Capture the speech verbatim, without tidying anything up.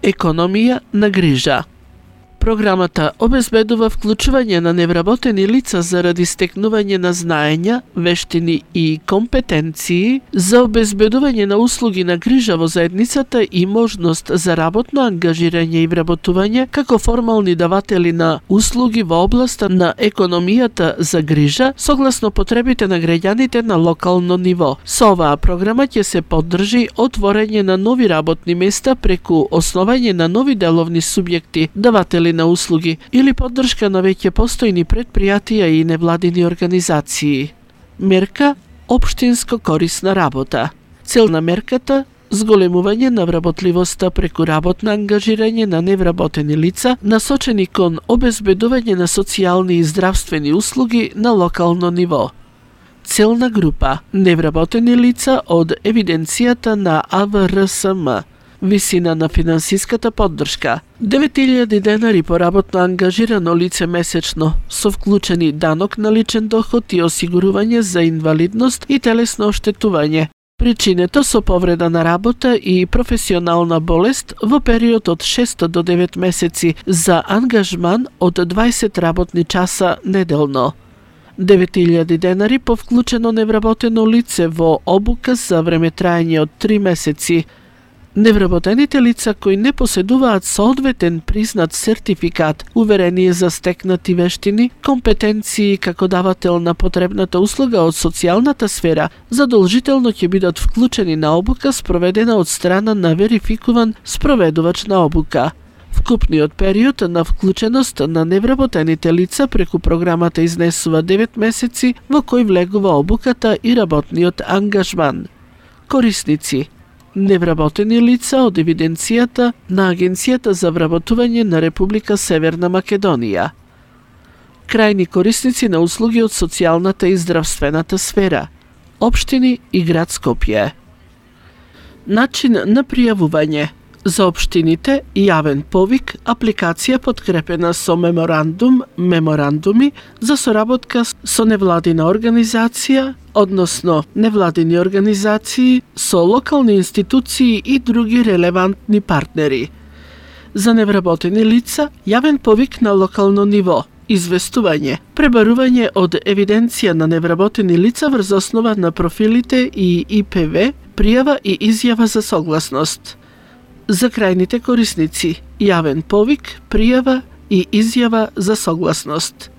Економија на грижа. Програмата обезбедува вклучување на невработени лица заради стекнување на знаења, вештини и компетенции за обезбедување на услуги на грижа во заедницата и можност за работно ангажирање и вработување како формални даватели на услуги во областа на економијата за грижа согласно потребите на граѓаните на локално ниво. Со оваа програма ќе се поддржи отворање на нови работни места преку основање на нови деловни субјекти, даватели на услуги или поддршка на веќе постојни предпријатија и невладини организации. Мерка општинско корисна работа. Цел на мерката зголемување на вработливоста преку работно ангажирање на невработени лица, насочени кон обезбедување на социјални и здравствени услуги на локално ниво. Целна група невработени лица од евиденцијата на А В Р С М. Висина на финансиската поддршка девет илјади денари по работно ангажирано лице месечно, со вклучени данок на личен доход и осигурување за инвалидност и телесно оштетување. Причинето со повреда на работа и професионална болест во период од шест до девет месеци за ангажман од дваесет работни часа неделно. девет илјади денари по вклучено невработено лице во обука за време траење од три месеци. Невработените лица кои не поседуваат соодветен признат сертификат, уверение за стекнати вештини, компетенции како давател на потребната услуга од социјалната сфера, задолжително ќе бидат вклучени на обука спроведена од страна на верификуван спроведувач на обука. Вкупниот период на вклученост на невработените лица преку програмата изнесува девет месеци во кој влегува обуката и работниот ангажман. Корисници невработени лица од евиденцијата на Агенцијата за вработување на Република Северна Македонија. Крајни корисници на услуги од социјалната и здравствената сфера, општини и град Скопје. Начин на пријавување. За општините јавен повик, апликација подкрепена со меморандум, меморандуми за соработка со невладина организација, односно невладини организации со локални институции и други релевантни партнери. За невработени лица, јавен повик на локално ниво, известување, пребарување од евиденција на невработени лица врз основа на профилите и И П В, пријава и изјава за согласност. За крајните корисници, јавен повик, пријава и изјава за согласност.